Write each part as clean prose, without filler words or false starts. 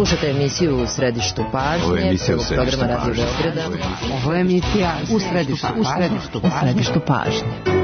Slušajte emisiju U središtu pažnje, prvog programa Radio Beograda. Ovo je emisija U središtu pažnje.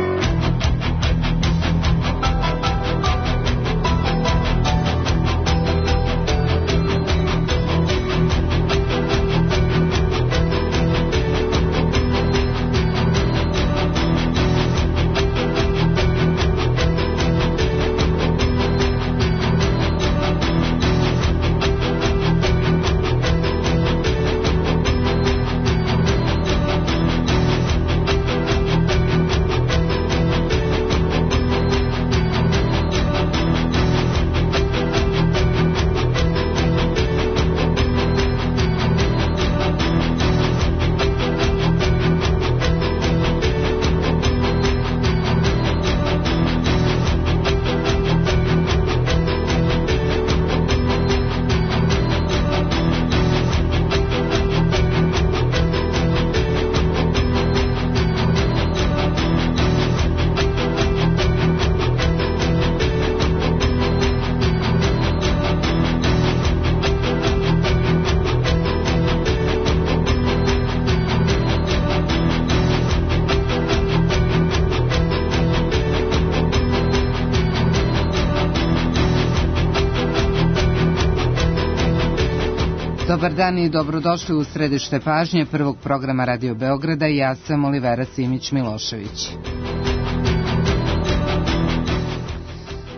Dobar dan i dobrodošli u središte pažnje prvog programa Radio Beograda. Ja sam Olivera Simić-Milošević.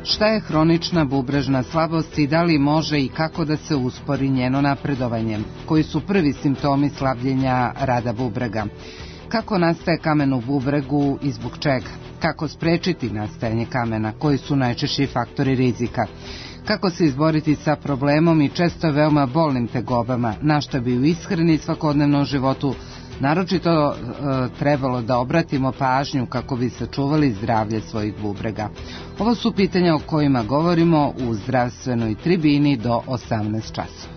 Šta je hronična bubrežna slabost i da li može i kako da se uspori njeno napredovanje? Koji su prvi simptomi slabljenja rada bubrega? Kako nastaje kamen u bubregu i zbog čega? Kako sprečiti nastajanje kamena? Koji su najčešći faktori rizika? Kako se izboriti sa problemom i često veoma bolnim tegobama, na što bi u ishrani svakodnevnom životu naročito trebalo da obratimo pažnju kako bi sačuvali zdravlje svojih bubrega. Ovo su pitanja o kojima govorimo u zdravstvenoj tribini do 18 časova.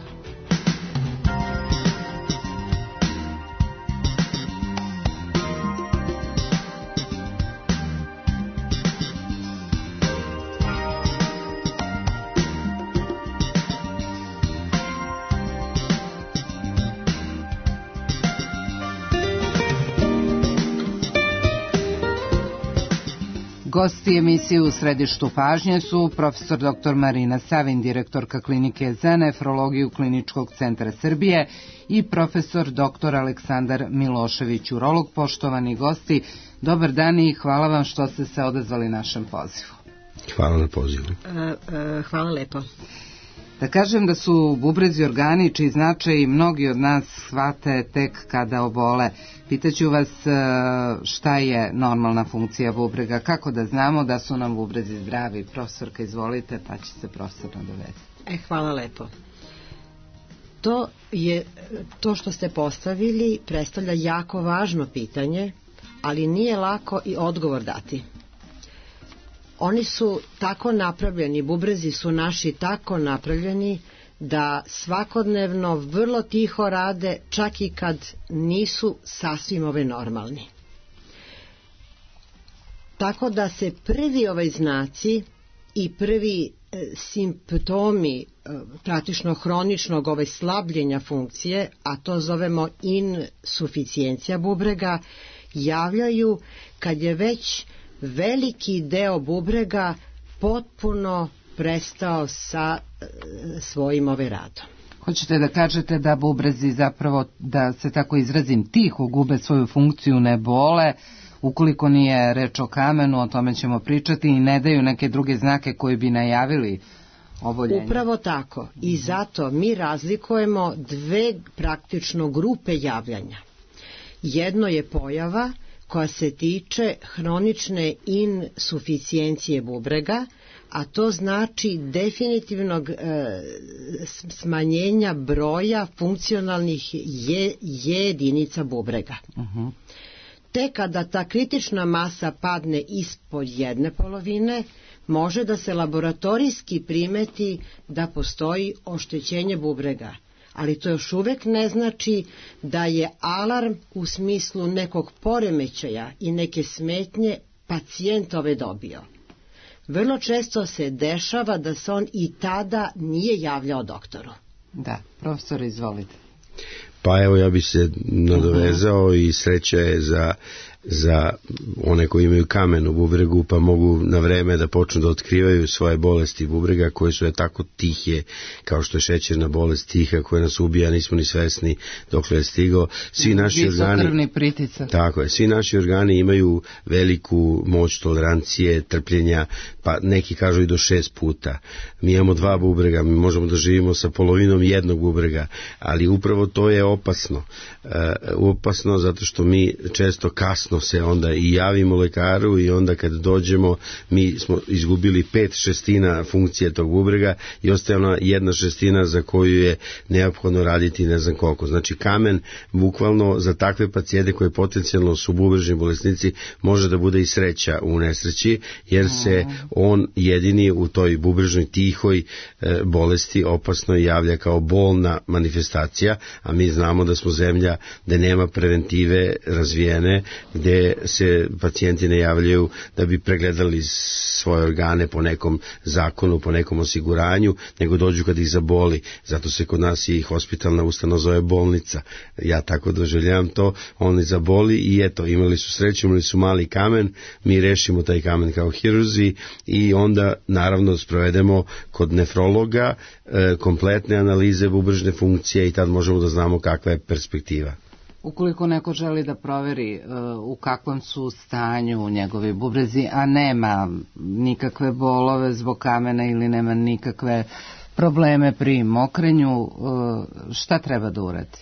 Gosti emisije U središtu pažnje su profesor dr. Marina Savin, direktorka klinike za nefrologiju Kliničkog centra Srbije, i profesor dr. Aleksandar Milošević, urolog. Poštovani gosti, dobar dan i hvala vam što ste se odazvali našem pozivu. Hvala na pozivu. Hvala lepo. Da kažem da su bubrezi organi čiji značaj mnogi od nas shvate tek kada obole. Pitaću vas šta je normalna funkcija bubrega, kako da znamo da su nam bubrezi zdravi. Profesorka, izvolite, pa će se profesor nadovezati. Hvala lepo. To što ste postavili predstavlja jako važno pitanje, ali nije lako i odgovor dati. Oni su tako napravljeni, bubrezi su naši tako napravljeni da svakodnevno vrlo tiho rade, čak i kad nisu sasvim normalni. Tako da se prvi znaci i prvi simptomi praktično hroničnog slabljenja funkcije, a to zovemo insuficijencija bubrega, javljaju kad je već veliki deo bubrega potpuno prestao sa svojim radom. Hoćete da kažete da bubrezi zapravo, da se tako izrazim, tiho gube svoju funkciju, ne bole, ukoliko nije reč o kamenu, o tome ćemo pričati, i ne daju neke druge znake koji bi najavili oboljenje? Upravo tako. I zato mi razlikujemo dve praktično grupe javljanja. Jedno je pojava koja se tiče hronične insuficijencije bubrega, a to znači definitivnog smanjenja broja funkcionalnih jedinica bubrega. Te kada ta kritična masa padne ispod 1/2, može da se laboratorijski primeti da postoji oštećenje bubrega. Ali to još uvek ne znači da je alarm u smislu nekog poremećaja i neke smetnje pacijent dobio. Vrlo često se dešava da se on i tada nije javljao doktoru. Da, profesor, izvolite. Pa evo, ja bih se nadovezao i sreća je za one koji imaju kamen u bubregu, pa mogu na vreme da počnu da otkrivaju svoje bolesti bubrega koje su tako tihe, kao što je šećerna bolest tiha koja nas ubija, nismo ni svesni dokle je stigao. Svi naši organi, tako je, svi naši organi imaju veliku moć tolerancije, trpljenja, pa neki kažu i do 6 puta. Mi imamo 2 bubrega, mi možemo da živimo sa polovinom jednog bubrega, ali upravo to je opasno. Opasno zato što mi često kasno se onda i javimo lekaru i onda kad dođemo mi smo izgubili 5/6 funkcije tog bubrega i ostaje ona 1/6 za koju je neophodno raditi ne znam koliko. Znači kamen bukvalno za takve pacijente koje potencijalno su bubrežni bolesnici može da bude i sreća u nesreći, jer se on jedini u toj bubrežnoj tihoj bolesti opasno javlja kao bolna manifestacija, a mi znamo da smo zemlja gde nema preventive razvijene, gde se pacijenti ne javljaju da bi pregledali svoje organe po nekom zakonu, po nekom osiguranju, nego dođu kad ih zaboli. Zato se kod nas i hospitalna ustanova zove bolnica. Ja tako doživljavam to, oni zaboli i eto, imali su sreću, imali su mali kamen, mi rešimo taj kamen kao hirurzi i onda naravno sprovedemo kod nefrologa kompletne analize bubrežne funkcije i tad možemo da znamo kakva je perspektiva. Ukoliko neko želi da proveri u kakvom su stanju njegovi bubrezi, a nema nikakve bolove zbog kamena ili nema nikakve probleme pri mokrenju, šta treba da uradi?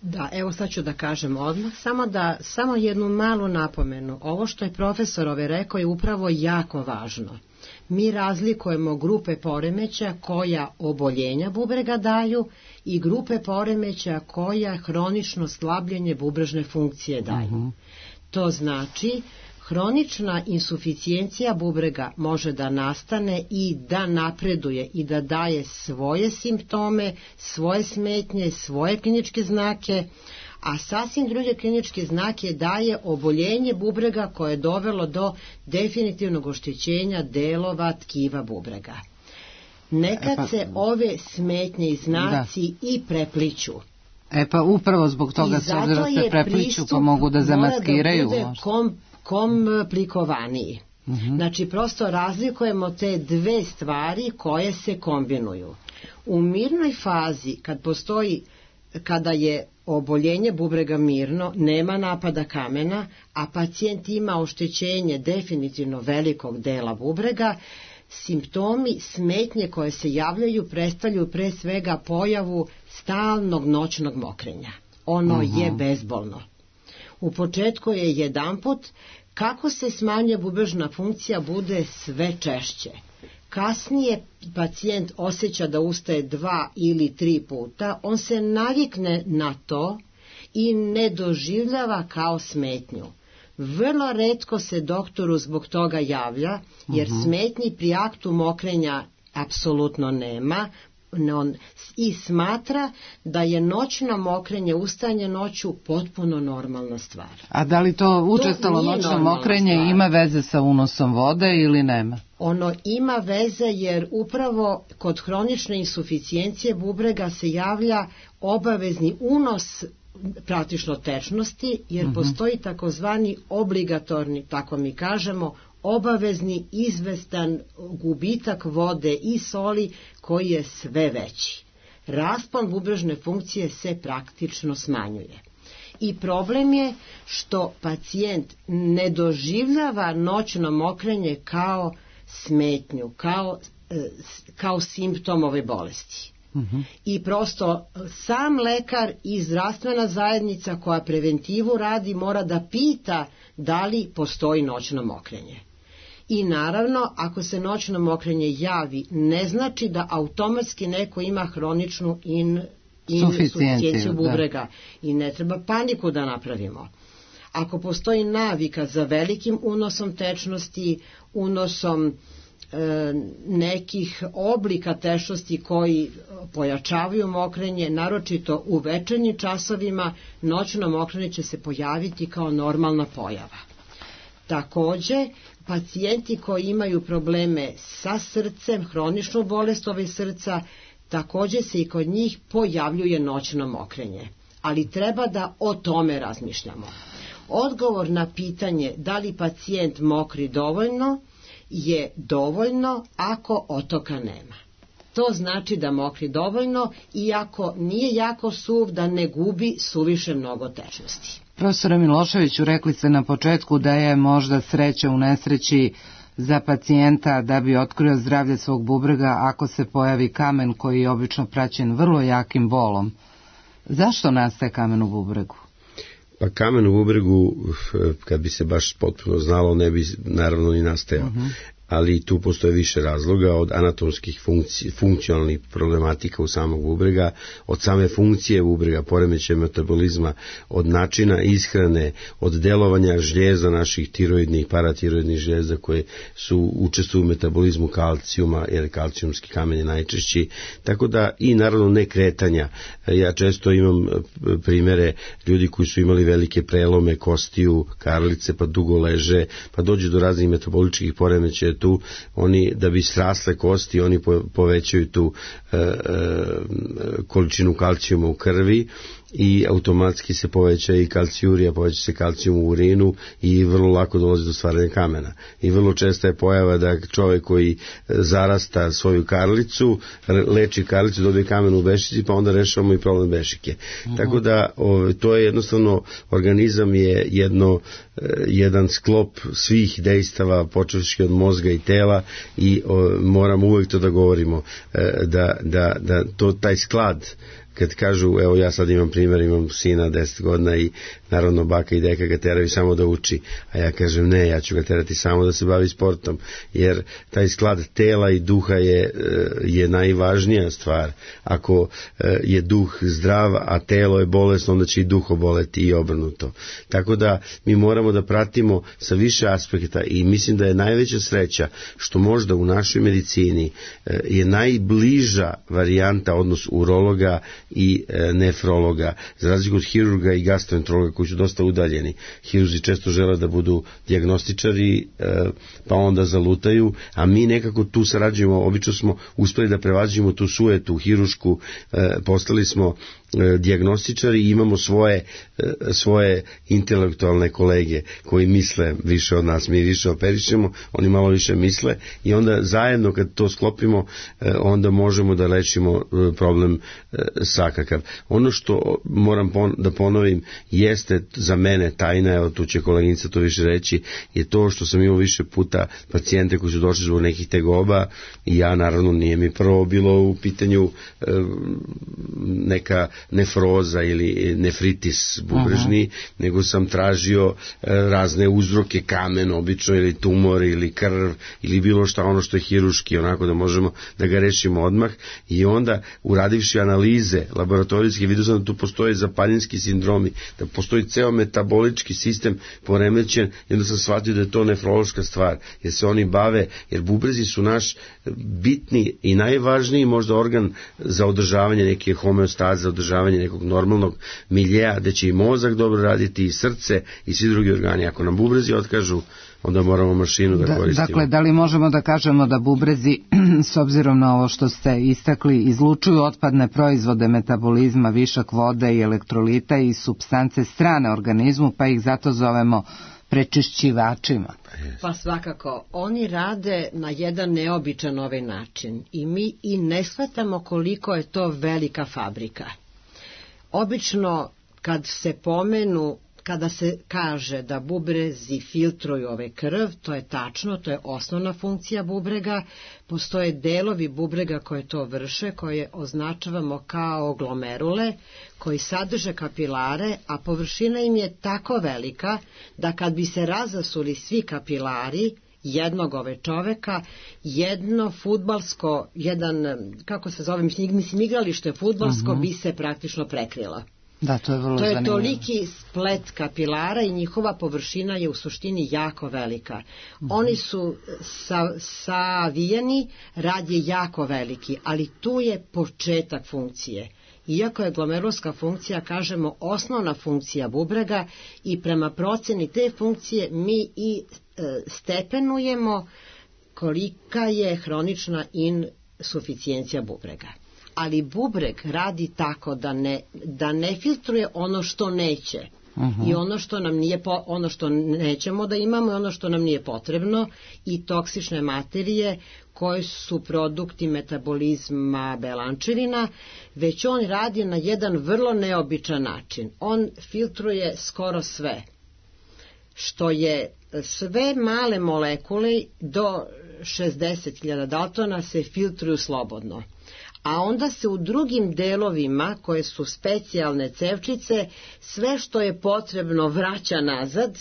Da, evo sad ću da kažem odmah, samo jednu malu napomenu. Ovo što je profesor rekao je upravo jako važno. Mi razlikujemo grupe poremeća koja oboljenja bubrega daju i grupe poremeća koja hronično slabljenje bubrežne funkcije daju. To znači hronična insuficijencija bubrega može da nastane i da napreduje i da daje svoje simptome, svoje smetnje, svoje kliničke znake, a sasvim druge kliničke znake daje oboljenje bubrega koje je dovelo do definitivnog oštećenja delova tkiva bubrega. Nekad se ove smetnje i znaci i prepliću. Pa upravo zbog toga se obzira se prepliću pa mogu da zamaskiraju. I zato je pristup komplikovaniji. Znači prosto razlikujemo te dve stvari koje se kombinuju. U mirnoj fazi kada je oboljenje bubrega mirno, nema napada kamena, a pacijent ima oštećenje definitivno velikog dela bubrega, simptomi smetnje koje se javljaju predstavljaju pre svega pojavu stalnog noćnog mokrenja. Ono je bezbolno. U početku je jedanput, kako se smanjuje bubrežna funkcija bude sve češće. Kasnije pacijent osjeća da ustaje 2 ili 3 puta, on se navikne na to i ne doživljava kao smetnju. Vrlo retko se doktoru zbog toga javlja, jer smetnji pri aktu mokrenja apsolutno nema, i smatra da je noćno mokrenje, ustajanje noću potpuno normalna stvar. A da li to učestalo noćno mokrenje ima veze sa unosom vode ili nema? Ono ima veze jer upravo kod hronične insuficijencije bubrega se javlja obavezni unos praktično tečnosti, jer postoji takozvani obligatorni, tako mi kažemo, obavezni izvestan gubitak vode i soli koji je sve veći. Raspon bubrežne funkcije se praktično smanjuje. I problem je što pacijent ne doživljava noćno mokrenje kao smetnju, kao simptom ove bolesti. I prosto sam lekar i zdravstvena zajednica koja preventivu radi mora da pita da li postoji noćno mokrenje. I naravno, ako se noćno mokrenje javi, ne znači da automatski neko ima hroničnu insuficijenciju bubrega i ne treba paniku da napravimo. Ako postoji navika za velikim unosom tečnosti, unosom nekih oblika tečnosti koji pojačavaju mokrenje, naročito u večernjim časovima, noćno mokrenje će se pojaviti kao normalna pojava. Takođe, pacijenti koji imaju probleme sa srcem, hroničnu bolest srca, takođe se i kod njih pojavljuje noćno mokrenje, ali treba da o tome razmišljamo. Odgovor na pitanje da li pacijent mokri dovoljno je dovoljno ako otoka nema. To znači da mokri dovoljno, iako nije jako suv, da ne gubi suviše mnogo tečnosti. Profesore Miloševiću, rekli ste na početku da je možda sreća u nesreći za pacijenta da bi otkrio zdravlje svog bubrega ako se pojavi kamen koji je obično praćen vrlo jakim bolom. Zašto nastaje kamen u bubregu? Pa kamen u bubregu, kad bi se baš potpuno znalo, ne bi naravno ni nastajao. Ali tu postoje više razloga, od anatomskih funkcionalnih problematika u samog bubrega, od same funkcije bubrega, poremećaja metabolizma, od načina ishrane, od delovanja žljeza naših tiroidnih, paratiroidnih žljeza koje su učestvuju u metabolizmu kalcijuma, jer kalcijumski kamen je najčešći, tako da i naravno ne kretanja. Ja često imam primere ljudi koji su imali velike prelome kostiju, karlice, pa dugo leže, pa dođu do raznih metaboličkih poremećaja tu, oni da bi srasle kosti, oni povećaju tu količinu kalcijuma u krvi i automatski se poveća i kalcijurija, poveća se kalcijum u urinu i vrlo lako dolazi do stvaranja kamena. I vrlo česta je pojava da čovjek koji zarasta svoju karlicu, leči karlicu, dobije kamen u bešici, pa onda rešavamo i problem bešike. Tako da to je jednostavno, organizam je jedan sklop svih dejstava, počevši od mozga i tela, i moramo uvijek to da govorimo, da taj sklad, kad kažu, evo ja sad imam primjer, imam sina 10 godina i naravno baka i deka ga teraju samo da uči, a ja kažem ne, ja ću ga terati samo da se bavi sportom, jer taj sklad tela i duha je najvažnija stvar. Ako je duh zdrav, a telo je bolesno, onda će i duh oboleti i obrnuto. Tako da mi moramo da pratimo sa više aspekta i mislim da je najveća sreća što možda u našoj medicini je najbliža varijanta, odnos urologa i nefrologa, za razliku od hirurga i gastroenterologa koji su dosta udaljeni. Hirurzi često žele da budu dijagnostičari, pa onda zalutaju, a mi nekako tu sarađujemo, obično smo uspeli da prevađimo tu sujetu hirušku, postali smo dijagnostičari i imamo svoje intelektualne kolege koji misle više od nas, mi više operišemo, oni malo više misle i onda zajedno kad to sklopimo, onda možemo da lečimo problem svakakav. Ono što moram da ponovim jeste za mene tajna, evo tu će koleginica to više reći, je to što sam imao više puta pacijente koji su došli zbog nekih tegoba i ja naravno nije mi prvo bilo u pitanju neka nefroza ili nefritis bubrežni, nego sam tražio razne uzroke, kamen obično ili tumor ili krv ili bilo šta ono što je hiruški, onako da možemo da ga rešimo odmah, i onda uradivši analize laboratorijski vidio sam da tu postoje zapaljinski sindromi, da postoji ceo metabolički sistem poremećen i onda sam shvatio da je to nefrološka stvar, jer se oni bave, jer bubrezi su naš bitni i najvažniji možda organ za održavanje neke homeostaze, za održavanje nekog normalnog miljeja, da će i mozak dobro raditi i srce i svi drugi organi. Ako nam bubrezi otkažu, onda moramo mašinu da koristimo. Dakle, da li možemo da kažemo da bubrezi, s obzirom na ovo što ste istakli, izlučuju otpadne proizvode metabolizma, višak vode i elektrolita i supstance strane organizmu, pa ih zato zovemo prečišćivačima? Pa svakako, oni rade na jedan neobičan ovaj način i mi i ne shvatamo koliko je to velika fabrika. Obično kad se pomenu, kada se kaže da bubrezi filtruju ove krv, to je tačno, to je osnovna funkcija bubrega. Postoje delovi bubrega koje to vrše, koje označavamo kao glomerule, koji sadrže kapilare, a površina im je tako velika da kad bi se razasuli svi kapilari jednog ove čoveka, jedno fudbalsko, kako se zove, mislim igralište fudbalsko bi se praktično prekrilo. Da, to je vrlo zanimljivo. To je toliki splet kapilara i njihova površina je u suštini jako velika. Oni su savijeni, rad je jako veliki, ali tu je početak funkcije. Iako je glomerulska funkcija, kažemo, osnovna funkcija bubrega i prema proceni te funkcije mi i stepenujemo kolika je hronična insuficijencija bubrega. ali bubreg radi tako da ne filtruje ono što neće. I ono što nam nije ono što nećemo da imamo i ono što nam nije potrebno i toksične materije koje su produkti metabolizma belančevina, već on radi na jedan vrlo neobičan način. On filtruje skoro sve, što je sve male molekule do 60.000 daltona se filtruju slobodno. A onda se u drugim delovima, koje su specijalne cevčice, sve što je potrebno vraća nazad,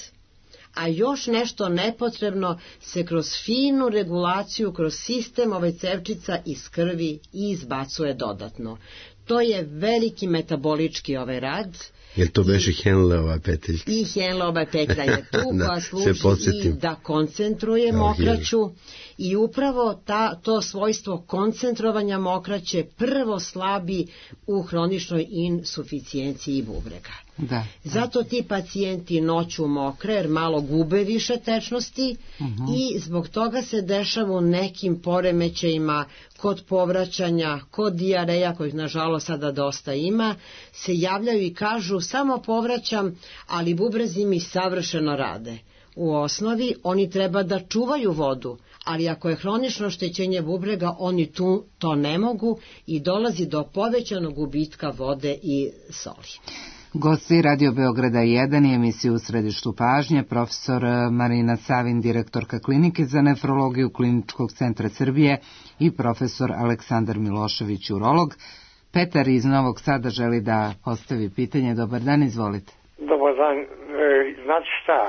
a još nešto nepotrebno se kroz finu regulaciju, kroz sistem ove cevčica iz krvi i izbacuje dodatno. To je veliki metabolički rad. Jer to beše Henleova peteljka? I Henleova petlja je tu koja služi i da koncentruje mokraću i upravo to svojstvo koncentrovanja mokraće prvo slabi u hroničnoj insuficijenciji bubrega. Da. Zato ti pacijenti noću mokre jer malo gube više tečnosti i zbog toga se dešava u nekim poremećajima kod povraćanja, kod dijareja kojih nažalost sada dosta ima, se javljaju i kažu samo povraćam, ali bubrezi mi savršeno rade. U osnovi oni treba da čuvaju vodu, ali ako je hronično oštećenje bubrega, oni to ne mogu i dolazi do povećanog gubitka vode i soli. Gosti Radio Beograda 1 i emisiju U središtu pažnje, profesor Marina Savin, direktorka klinike za nefrologiju Kliničkog centra Srbije i profesor Aleksandar Milošević, urolog. Petar iz Novog Sada želi da postavi pitanje. Dobar dan, izvolite. Dobar dan, znate šta,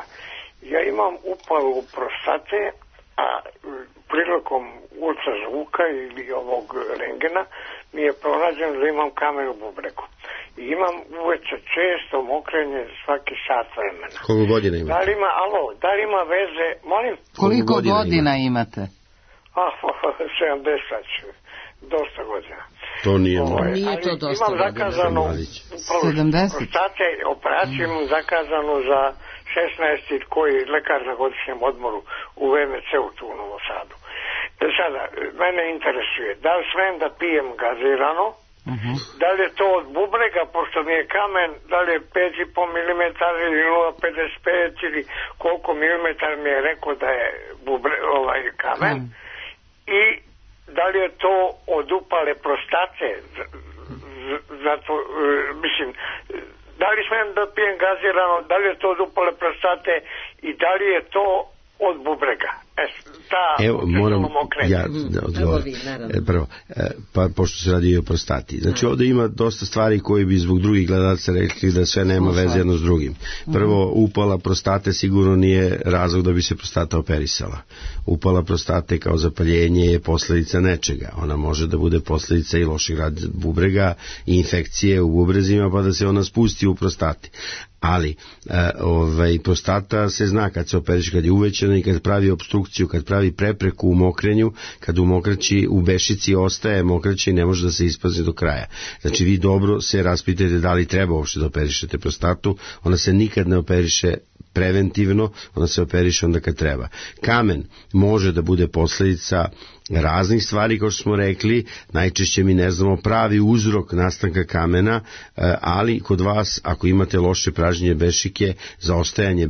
ja imam upalu prostate, a prilikom ultrazvuka ili ovog rengena mi je pronađeno da imam kamen u bubregu. I imam uveče često mokrenje svaki sat vremena. Koliko godina imate? Da li ima veze, molim? Koliko godina imate? 70, dosta godina. To nije Nije to dosta imam zakazano 70. prostate, operaciju imam zakazanu za 16. koji lekar na godišnjem odmoru u VMC-u tu u Novom Sadu. Sada, mene interesuje, da li smem da pijem gazirano, da li je to od bubrega, pošto mi je kamen, da li je 5,5 mm ili 0,55 ili koliko milimetara mi je rekao da je kamen, i da li je to od upale prostate, zato, mislim, da li smem da pijem gazirano, da li je to od upale prostate i da li je to od bubrega. Evo, moram ja da odgovorim. Prvo, pa pošto se radi i o prostati. Znači, ovdje ima dosta stvari koji bi zbog drugih gledalaca rekli da sve nema veze jedno s drugim. Prvo, upala prostate sigurno nije razlog da bi se prostata operisala. Upala prostate kao zapaljenje je posljedica nečega. Ona može da bude posljedica i lošeg rada bubrega i infekcije u bubrezima, pa da se ona spusti u prostati. Ali prostata se zna kad se operiše, kad je uvećana i kad pravi opstrukciju, kad pravi prepreku u mokrenju, kad u mokraći, u bešici ostaje mokraće i ne može da se isprazni do kraja. Znači vi dobro se raspitajte da li treba uopšte da operišete prostatu, ona se nikad ne operiše preventivno, ona se operiše onda kad treba. Kamen može da bude posljedica raznih stvari, kao što smo rekli, najčešće mi ne znamo pravi uzrok nastanka kamena, ali kod vas, ako imate loše pražnjenje bešike, zaostajanje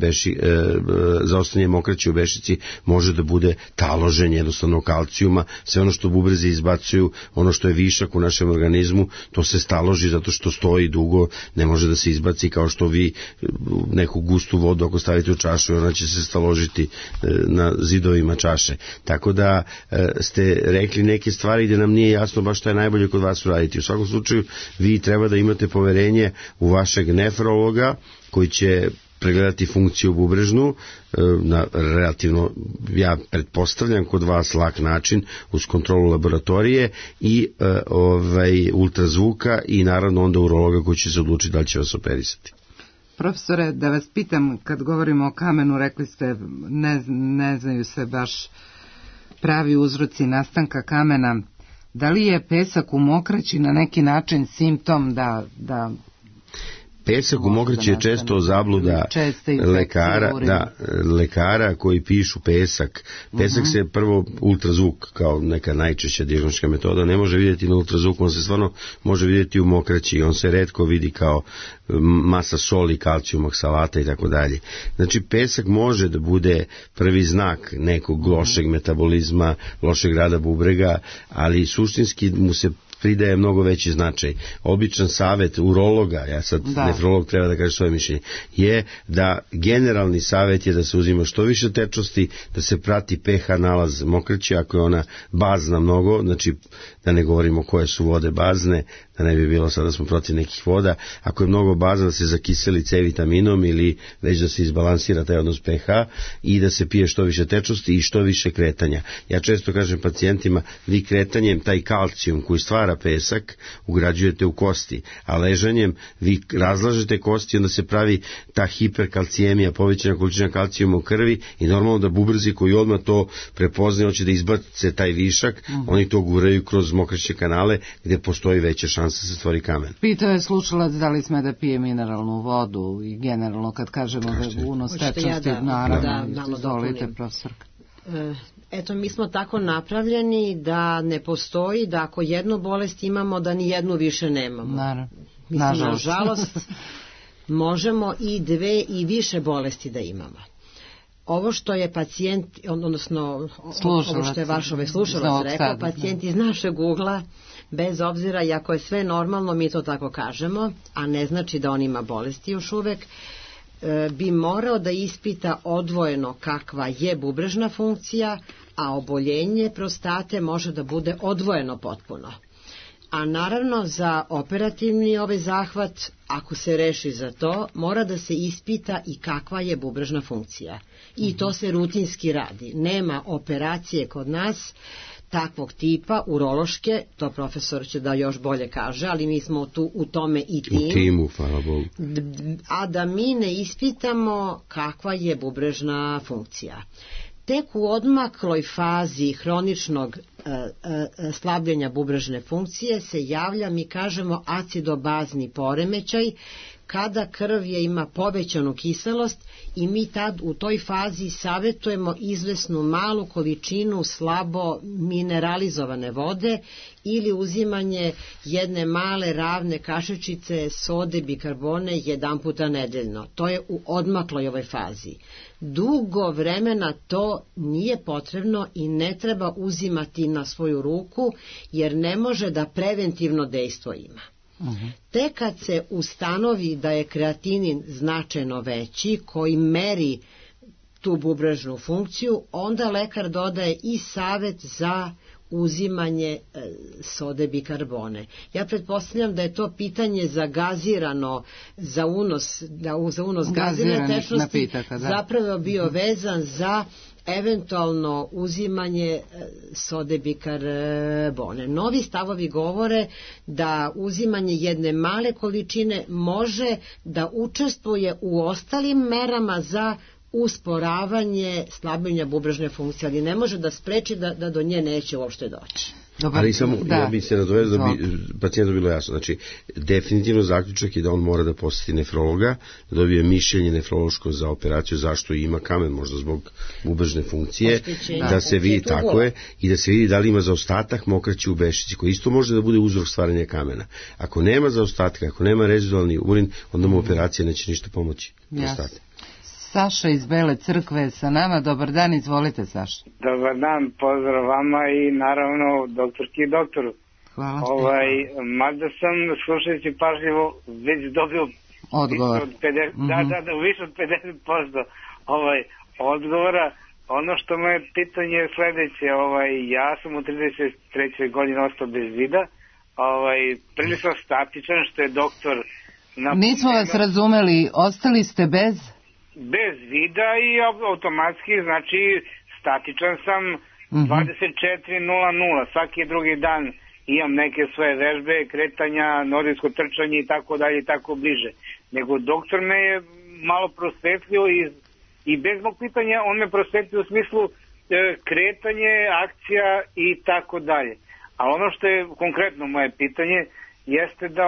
mokraće u bešici može da bude taloženje jednostavno kalcijuma, sve ono što bubrezi izbacuju, ono što je višak u našem organizmu, to se staloži zato što stoji dugo, ne može da se izbaci, kao što vi neku gustu vodu ako stavite u čašu, ona će se staložiti na zidovima čaše. Tako da ste rekli neke stvari gde nam nije jasno baš šta je najbolje kod vas uraditi. U svakom slučaju vi treba da imate poverenje u vašeg nefrologa koji će pregledati funkciju bubrežnu na relativno, ja pretpostavljam kod vas lak način, uz kontrolu laboratorije i ultrazvuka i naravno onda urologa koji će se odlučiti da li će vas operisati. Profesore, da vas pitam, kad govorimo o kamenu, rekli ste ne znaju se baš pravi uzroci nastanka kamena. Da li je pesak u mokraći na neki način simptom da Pesak u mokraći je često zabluda lekara koji pišu pesak. Pesak se prvo ultrazvuk, kao neka najčešća dijagnostička metoda, ne može vidjeti na ultrazvuku, on se stvarno može vidjeti u mokraći, on se retko vidi kao masa soli, kalcijum, oksalata i tako dalje. Znači pesak može da bude prvi znak nekog lošeg metabolizma, lošeg rada bubrega, ali suštinski mu se pridaje mnogo veći značaj. Običan savjet urologa, ja sad nefrolog treba da kaže svoje mišljenje, je da generalni savjet je da se uzima što više tečnosti, da se prati pH nalaz mokraće, ako je ona bazna mnogo, znači da ne govorimo koje su vode bazne, da ne bi bilo sada smo protiv nekih voda, ako je mnogo bazna da se zakiseli C vitaminom ili već da se izbalansira taj odnos pH i da se pije što više tečnosti i što više kretanja. Ja često kažem pacijentima, vi kretanjem taj kalcijum koji stvara pesak ugrađujete u kosti, a ležanjem vi razlažete kosti, onda se pravi ta hiperkalcijemija, povećana količina kalcijuma u krvi i normalno da bubrezi koji odmah to prepoznaju, hoće da izbace taj višak, oni to guraju kroz mokraćne kanale gdje postoji veća šansa da se stvori kamen. Pitao je slušalac da li sme da pije mineralnu vodu i generalno kad kažemo da je unos tečnosti, naravno, izvolite profesorka. Eto, mi smo tako napravljeni da ne postoji, da ako jednu bolest imamo, da ni jednu više nemamo. Nažalost, možemo i dve i više bolesti da imamo. Ovo što je pacijent, odnosno ovo što je vaš slušalac rekao, pacijent iz našeg ugla, bez obzira, i ako je sve normalno, mi to tako kažemo, a ne znači da on ima bolesti još uvek, bi morao da ispita odvojeno kakva je bubrežna funkcija, a oboljenje prostate može da bude odvojeno potpuno. A naravno za operativni zahvat, ako se reši za to, mora da se ispita i kakva je bubrežna funkcija. I to se rutinski radi. Nema operacije kod nas takvog tipa, urološke, to profesor će da još bolje kaže, ali mi smo tu u tome i tim. U timu, hvala Bogu. A da mi ne ispitamo kakva je bubrežna funkcija. Tek u odmakloj fazi hroničnog slabljenja bubrežne funkcije se javlja, mi kažemo, acidobazni poremećaj, kada krv ima povećanu kiselost i mi tad u toj fazi savjetujemo izvesnu malu količinu slabo mineralizovane vode ili uzimanje jedne male ravne kašičice sode bikarbone jedan puta nedeljno. To je u odmakloj ovoj fazi. Dugo vremena to nije potrebno i ne treba uzimati na svoju ruku jer ne može da preventivno dejstvo ima. Tek kad se ustanovi da je kreatinin značajno veći koji meri tu bubrežnu funkciju, onda lekar dodaje i savjet za uzimanje sode bikarbone. Ja pretpostavljam da je to pitanje za gazirano, za unos gazirane tečnosti zapravo bio vezan za eventualno uzimanje sode bikarbone. Novi stavovi govore da uzimanje jedne male količine može da učestvuje u ostalim merama za usporavanje slabljenja bubrežne funkcije, ali ne može da spreči da do nje neće uopšte doći. Ali samo, ja bi se nadovezao da bi pacijentu bilo jasno. Znači, definitivno zaključak je da on mora da posjeti nefrologa, da dobije mišljenje nefrološko za operaciju, zašto ima kamen, možda zbog bubrežne funkcije, da se vidi tako je i da se vidi da li ima zaostatak mokraće u bešici, koji isto može da bude uzrok stvaranja kamena. Ako nema zaostatka, ako nema rezidualni urin, onda mu operacija neće ništa pomoći. Saša iz Bele Crkve sa nama. Dobar dan, izvolite Saša. Dobar dan, pozdrav vama i naravno doktorki i doktoru. Hvala. Mada sam slušajući pažljivo već dobio odgovor. Više od 50% odgovora. Ono što moje pitanje je sledeće, ja sam u 33. godini ostao bez vida, prilično statičan, što je doktor... Nismo vas razumeli, ostali ste bez vida i automatski, znači statičan sam 24:00, svaki drugi dan imam neke svoje vežbe, kretanja, nordijsko trčanje i tako dalje i tako bliže. Nego doktor me je malo prosvetlio i bez mog pitanja on me prosvetlio u smislu kretanje, akcija i tako dalje. A ono što je konkretno moje pitanje jeste da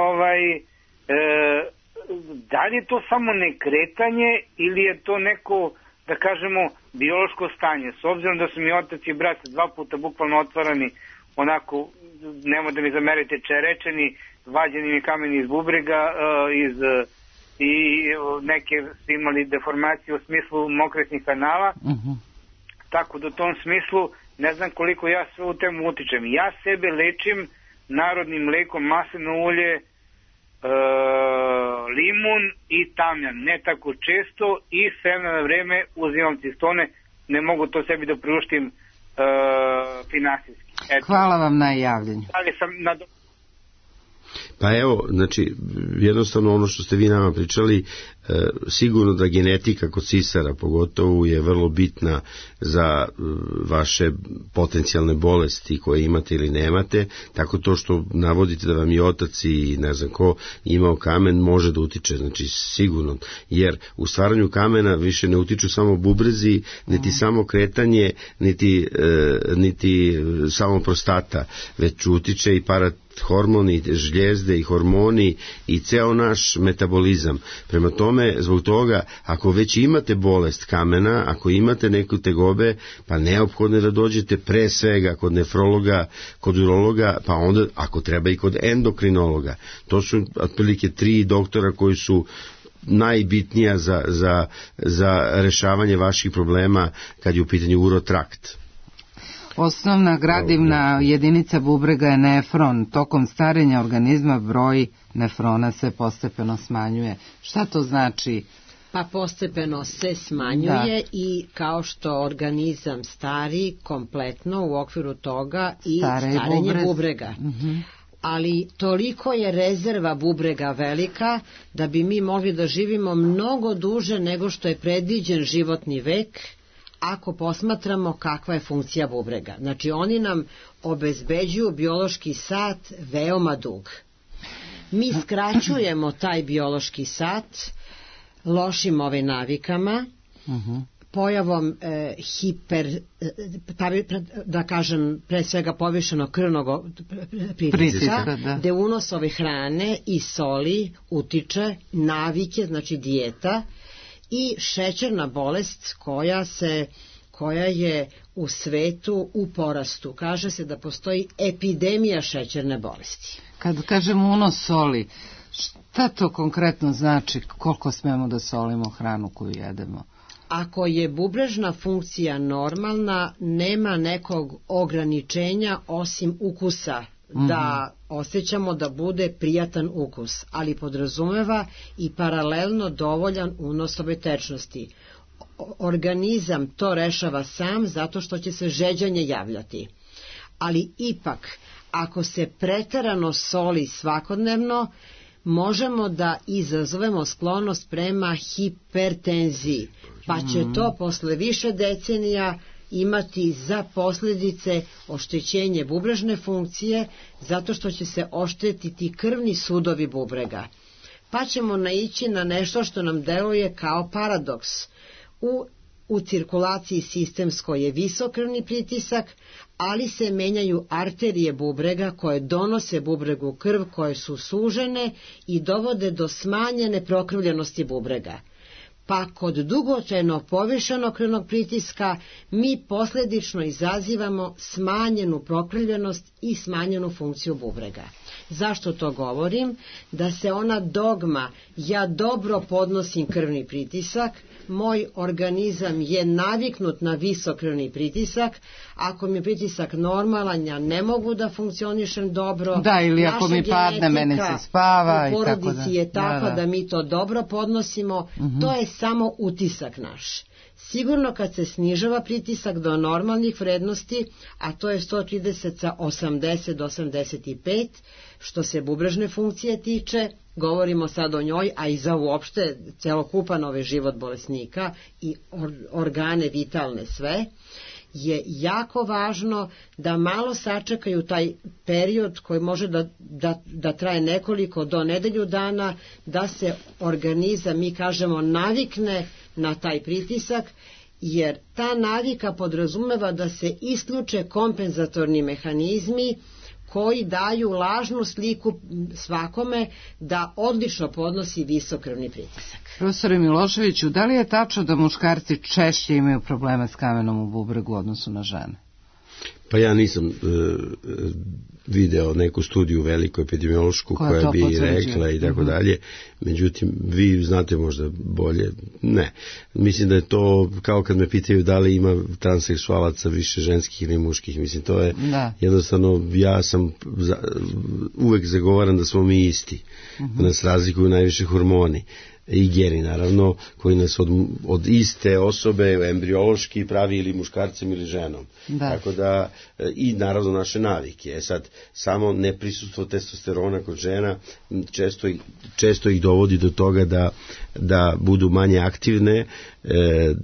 da li je to samo nekretanje ili je to neko, da kažemo, biološko stanje? S obzirom da su mi otac i brat 2 puta bukvalno otvarani, onako, nemoj da mi zamerite, čerečeni, vađeni mi kameni iz bubrega, i neke su imali deformacije u smislu mokretnih kanala, tako da u tom smislu ne znam koliko ja sve u temu utičem. Ja sebe lečim narodnim lekom, maslino ulje, limun i tamjan, ne tako često, i sve na vreme uzimam cistone, ne mogu to sebi da priuštim finansijski. Hvala vam na javljanju. Pa evo, znači, jednostavno ono što ste vi nama pričali, sigurno da genetika kod sisara pogotovo je vrlo bitna za vaše potencijalne bolesti koje imate ili nemate, tako to što navodite da vam je otac i ne znam ko imao kamen može da utiče, znači sigurno, jer u stvaranju kamena više ne utiču samo bubrezi, niti samo kretanje, niti samo prostata, već utiče i hormoni, žljezde i hormoni i ceo naš metabolizam. Prema tome, zbog toga, ako već imate bolest kamena, ako imate neku tegobe, pa neophodno je da dođete pre svega kod nefrologa, kod urologa, pa onda, ako treba, i kod endokrinologa. To su otprilike 3 doktora koji su najbitnija za rešavanje vaših problema kad je u pitanju urotrakt. Osnovna gradivna jedinica bubrega je nefron. Tokom starenja organizma broj nefrona se postepeno smanjuje. Šta to znači? Pa postepeno se smanjuje i kao što organizam stari kompletno u okviru toga i starenje bubrega. Ali toliko je rezerva bubrega velika da bi mi mogli da živimo mnogo duže nego što je predviđen životni vek, ako posmatramo kakva je funkcija bubrega. Znači, oni nam obezbeđuju biološki sat veoma dug. Mi skraćujemo taj biološki sat lošim navikama, pojavom da kažem, pre svega povišenog krvnog pritiska, gde unos ove hrane i soli utiče, navike, znači dijeta, i šećerna bolest koja je u svetu u porastu. Kaže se da postoji epidemija šećerne bolesti. Kad kažemo unos soli, šta to konkretno znači? Koliko smemo da solimo hranu koju jedemo? Ako je bubrežna funkcija normalna, nema nekog ograničenja osim ukusa, da osjećamo da bude prijatan ukus, ali podrazumeva i paralelno dovoljan unos ove tečnosti. Organizam to rešava sam zato što će se žeđanje javljati. Ali ipak, ako se preterano soli svakodnevno, možemo da izazovemo sklonost prema hipertenziji, pa će to posle više decenija imati za posljedice oštećenje bubrežne funkcije, zato što će se oštetiti krvni sudovi bubrega. Pa ćemo naići na nešto što nam deluje kao paradoks. U cirkulaciji sistemskoj je visok krvni pritisak, ali se menjaju arterije bubrega koje donose bubregu krv, koje su sužene i dovode do smanjene prokrvljenosti bubrega. Pa kod dugotrajno povišenog krvnog pritiska mi posljedično izazivamo smanjenu prokrvljenost i smanjenu funkciju bubrega. Zašto to govorim? Da se ona dogma ja dobro podnosim krvni pritisak, moj organizam je naviknut na visok krvni pritisak, ako mi je pritisak normalan, ja ne mogu da funkcionišem dobro. Da, ili ako mi padne, mene se spava. U porodici je takva da mi to dobro podnosimo, to je samo utisak naš. Sigurno kad se snižava pritisak do normalnih vrednosti, a to je 130 sa 80 do 85, što se bubrežne funkcije tiče, govorimo sad o njoj, a i za uopšte celokupan život bolesnika i organe vitalne sve, je jako važno da malo sačekaju taj period koji može da traje nekoliko do nedelju dana, da se organizam, mi kažemo, navikne na taj pritisak, jer ta navika podrazumeva da se isključe kompenzatorni mehanizmi koji daju lažnu sliku svakome da odlično podnosi visok krvni pritisak. Profesore Miloševiću, da li je tačno da muškarci češće imaju problema s kamenom u bubregu u odnosu na žene? Pa ja nisam video neku studiju veliku epidemiološku koja bi rekla i tako dalje, međutim vi znate možda bolje. Ne, mislim da je to kao kad me pitaju da li ima transseksualaca više ženskih ili muških, mislim to je jednostavno, ja sam uvek zagovaram da smo mi isti, da nas razlikuju najviše hormoni i geni naravno, koji nas od iste osobe embriološki pravi ili muškarcem ili ženom. Tako da, i naravno naše navike. Sad, samo neprisustvo testosterona kod žena često ih dovodi do toga da budu manje aktivne,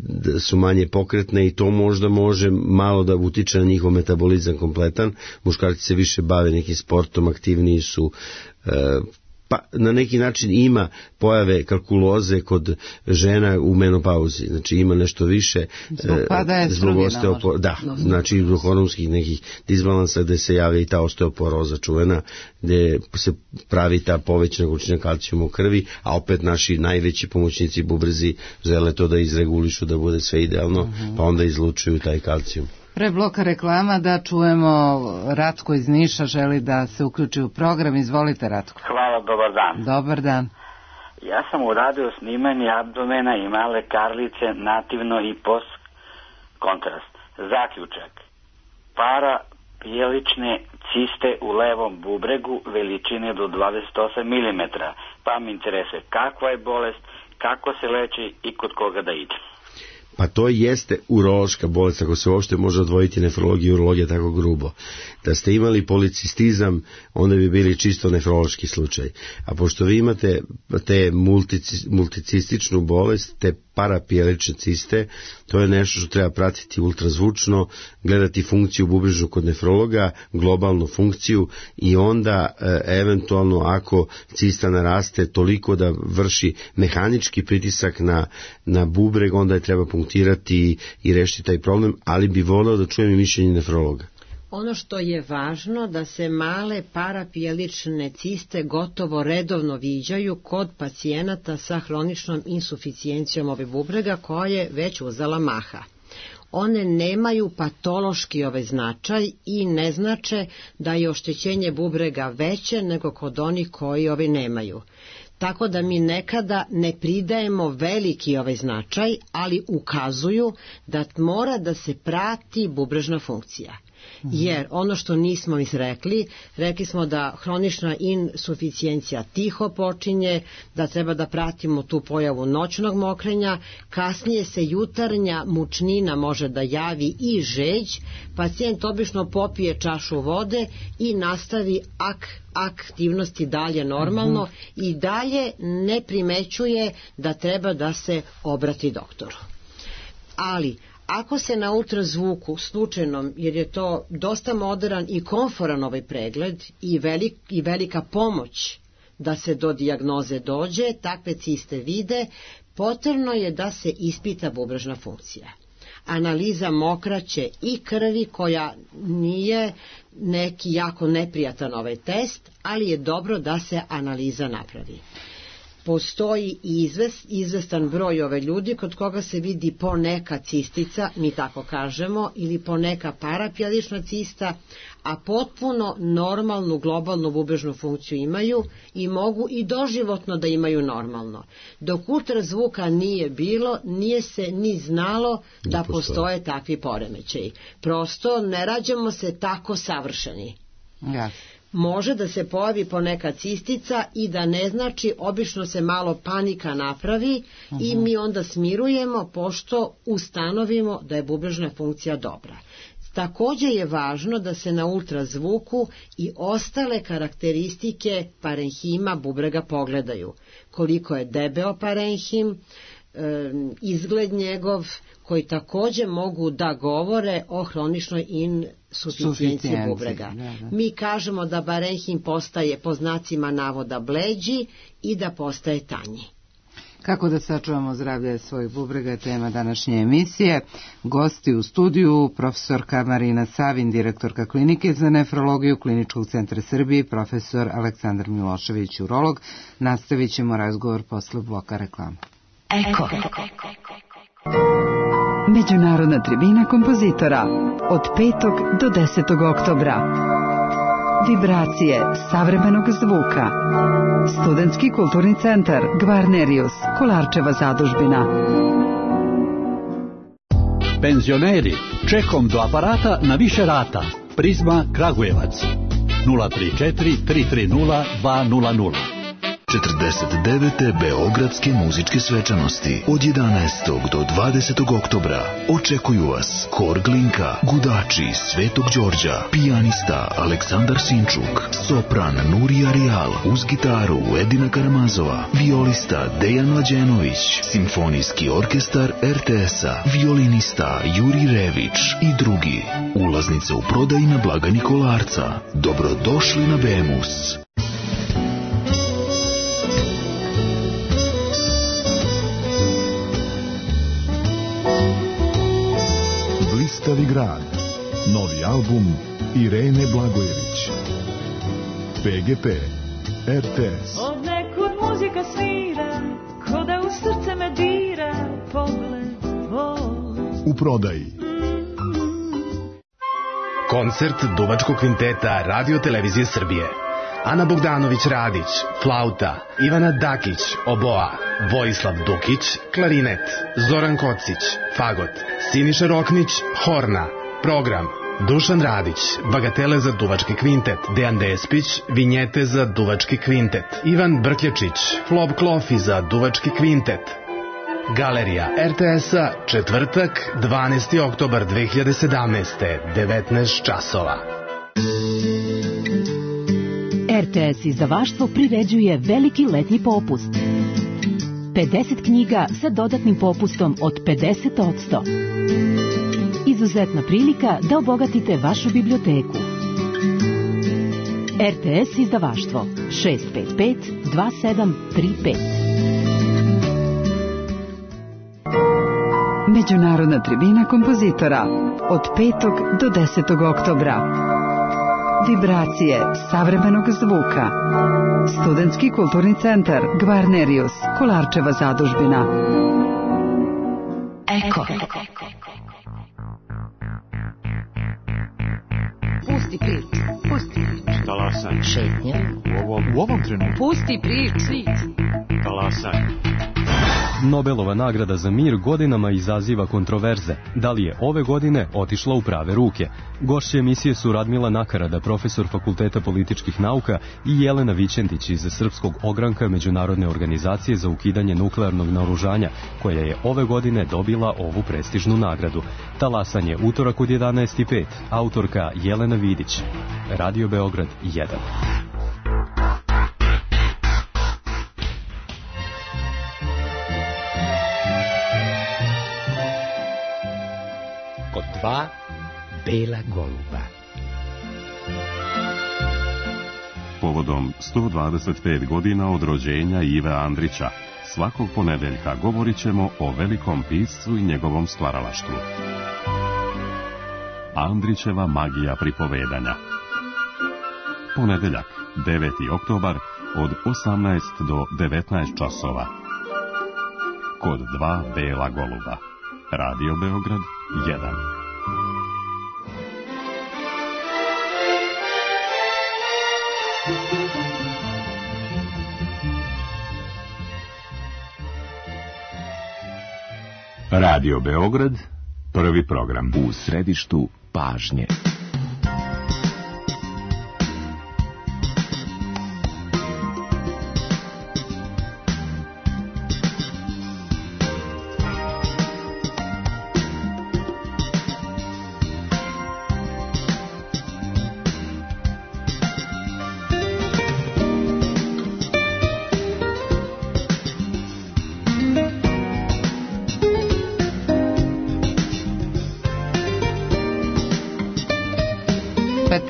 da su manje pokretne, i to možda može malo da utiče na njihov metabolizam kompletan. Muškarci se više bave nekim sportom, aktivniji su, pa na neki način ima pojave kalkuloze kod žena u menopauzi, znači ima nešto više zbog osteoporoza, znači zbog hormonskih nekih disbalansa gde se javlja i ta osteoporoza čuvena, gde se pravi ta povećana količina kalcijuma u krvi, a opet naši najveći pomoćnici bubrezi žele to da izregulišu, da bude sve idealno, pa onda izlučuju taj kalcijum. Pre bloka reklama da čujemo Ratko iz Niša, želi da se uključi u program. Izvolite, Ratko. Hvala, dobar dan. Dobar dan. Ja sam uradio snimanje abdomena i male karlice nativno i post kontrast. Zaključak: parapijelične ciste u levom bubregu veličine do 28 mm. Pa mi interesuje kakva je bolest, kako se leči i kod koga da ide. Pa to jeste urološka bolest, ako se uopšte može odvojiti nefrologija i urologija tako grubo. Da ste imali policistizam, onda bi bili čisto nefrološki slučaj. A pošto vi imate te multicističnu bolest, te parapijelične ciste, to je nešto što treba pratiti ultrazvučno, gledati funkciju bubrežnu kod nefrologa, globalnu funkciju, i onda eventualno ako cista naraste toliko da vrši mehanički pritisak na bubreg, onda je treba punktirati i rešiti taj problem, ali bi voleo da čujem i mišljenje nefrologa. Ono što je važno da se male parapijelične ciste gotovo redovno viđaju kod pacijenata sa hroničnom insuficijencijom ove bubrega koja je već uzela maha. One nemaju patološki značaj i ne znače da je oštećenje bubrega veće nego kod onih koji nemaju. Tako da mi nekada ne pridajemo veliki značaj, ali ukazuju da mora da se prati bubrežna funkcija. Jer ono što nismo rekli smo da hronična insuficijencija tiho počinje, da treba da pratimo tu pojavu noćnog mokrenja, kasnije se jutarnja mučnina može da javi i žeđ, pacijent obično popije čašu vode i nastavi aktivnosti dalje normalno i dalje ne primećuje da treba da se obrati doktoru. Ali ako se na ultrazvuku slučajnom, jer je to dosta moderan i komforan pregled i velika pomoć da se do dijagnoze dođe, takve ciste vide, potrebno je da se ispita bubrežna funkcija. Analiza mokraće i krvi, koja nije neki jako neprijatan test, ali je dobro da se analiza napravi. Postoji izvestan broj ljudi kod koga se vidi poneka cistica, mi tako kažemo, ili poneka parapijelična cista, a potpuno normalnu globalnu bubrežnu funkciju imaju i mogu i doživotno da imaju normalno. Dok ultrazvuka nije bilo, nije se ni znalo da postoje takvi poremećaji. Prosto ne rađamo se tako savršeni. Može da se pojavi poneka cistica i da ne znači, obično se malo panika napravi i mi onda smirujemo pošto ustanovimo da je bubrežna funkcija dobra. Također je važno da se na ultrazvuku i ostale karakteristike parenhima bubrega pogledaju. Koliko je debeo parenhim, izgled njegov, koji također mogu da govore o hroničnoj insuficijenciji bubrega. Mi kažemo da parenhim postaje po znacima navoda bleđi i da postaje tanji. Kako da sačuvamo zdravlje svojih bubrega je tema današnje emisije. Gosti u studiju, profesorka Marina Savin, direktorka klinike za nefrologiju Kliničkog centra Srbije i profesor Aleksandar Milošević, urolog. Nastavit ćemo razgovor posle bloka reklama. Eko. Međunarodna tribina kompozitora od 5. do 10. oktobra. Vibracije savremenog zvuka. Studentski kulturni centar Gvarnerius, Kolarčeva zadužbina. Penzioneri, čekom do aparata na više rata. Prizma Kragujevac 034 330 200. 49. Beogradske muzičke svečanosti od 11. do 20. oktobra očekuju vas Hor Glinka, Gudači Svetog Đorđa, pijanista Aleksandar Sinčuk, sopran Nurija Rijal, uz gitaru Edina Karamazova, violista Dejan Mlađenović, simfonijski orkestar RTS-a, violinista Juri Rević i drugi. Ulaznice u prodaji na blagajni Kolarca. Dobrodošli na Bemus. Blistavi grad. Novi album Irene Blagojević. PGP RTS. Od nekud muzika svira, ko da u srce me dira, pogled tvoj. U prodaji. Koncert Duvačkog kvinteta Radio Televizije Srbije. Ana Bogdanović Radić, flauta, Ivana Dakić, oboa, Vojislav Dukić, klarinet, Zoran Kocić, fagot, Siniša Roknić, horna, program, Dušan Radić, bagatele za Duvački kvintet, Dejan Despić, vinjete za Duvački kvintet, Ivan Brkljačić, flop klofi za Duvački kvintet. Galerija RTS-a, četvrtak, 12. oktobar 2017. 19 časova. RTS izdavaštvo priređuje veliki letnji popust. 50 knjiga sa dodatnim popustom od 50%. Izuzetna prilika da obogatite vašu biblioteku. RTS izdavaštvo 655 2735. Međunarodna tribina kompozitora od 5. do 10. oktobra. Vibracije savremenog zvuka. Studentski kulturni centar Gvarnerius, Kolarčeva zadužbina. Eko. Pusti priču. Pusti priču. Talasaj. Šetnja. U ovom trenutku. Pusti priču. Talasaj. Nobelova nagrada za mir godinama izaziva kontroverze. Da li je ove godine otišla u prave ruke? Gošće emisije su Radmila Nakarada, profesor Fakulteta političkih nauka, i Jelena Vićentić iz Srpskog ogranka Međunarodne organizacije za ukidanje nuklearnog naoružanja, koja je ove godine dobila ovu prestižnu nagradu. Talasanje utorak od 11:05. Autorka Jelena Vidić. Radio Beograd 1. Kod 2 bela goluba. Povodom 125 godina od rođenja Ive Andrića, svakog ponedeljka govorit ćemo o velikom piscu i njegovom stvaralaštvu. Andrićeva magija pripovedanja. Ponedeljak, 9. oktobar, od 18 do 19 časova. Kod 2 bela goluba. Radio Beograd 1. Radio Beograd, prvi program. U središtu pažnje.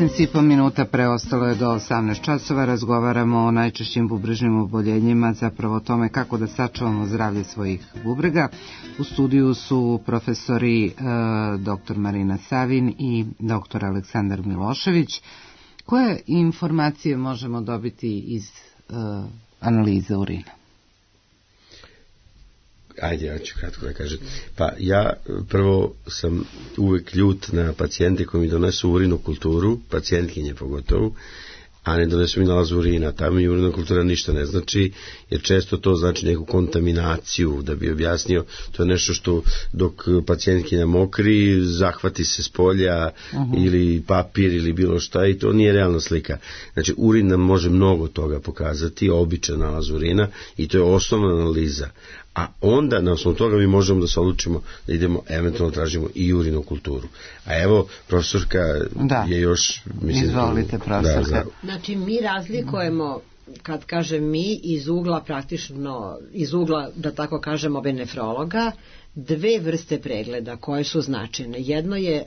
19,5 minuta preostalo je do 18 časova. Razgovaramo o najčešćim bubrežnim oboljenjima, zapravo o tome kako da sačuvamo zdravlje svojih bubrega. U studiju su profesori dr. Marina Savin i dr. Aleksandar Milošević. Koje informacije možemo dobiti iz analize urina? Ajde, ja ću kratko da kažem. Pa ja prvo sam uvek ljut na pacijente koji mi donesu urinokulturu, pacijentkinje pogotovo, a ne donesu mi nalaz urina. Tamo mi urinokultura ništa ne znači, jer često to znači neku kontaminaciju, da bi objasnio. To je nešto što dok pacijentkinja mokri, zahvati se s polja ili papir ili bilo šta, i to nije realna slika. Znači, urin nam može mnogo toga pokazati, običan nalaz urina, i to je osnovna analiza. A onda na osnovu toga mi možemo da se odlučimo da idemo, eventualno tražimo i urinokulturu. A evo, profesorka je još... Mislim, izvolite, profesorka. Znači, mi razlikujemo, kad kažem mi, iz ugla praktično, iz ugla, da tako kažemo, nefrologa, dve vrste pregleda koje su značajne. Jedno je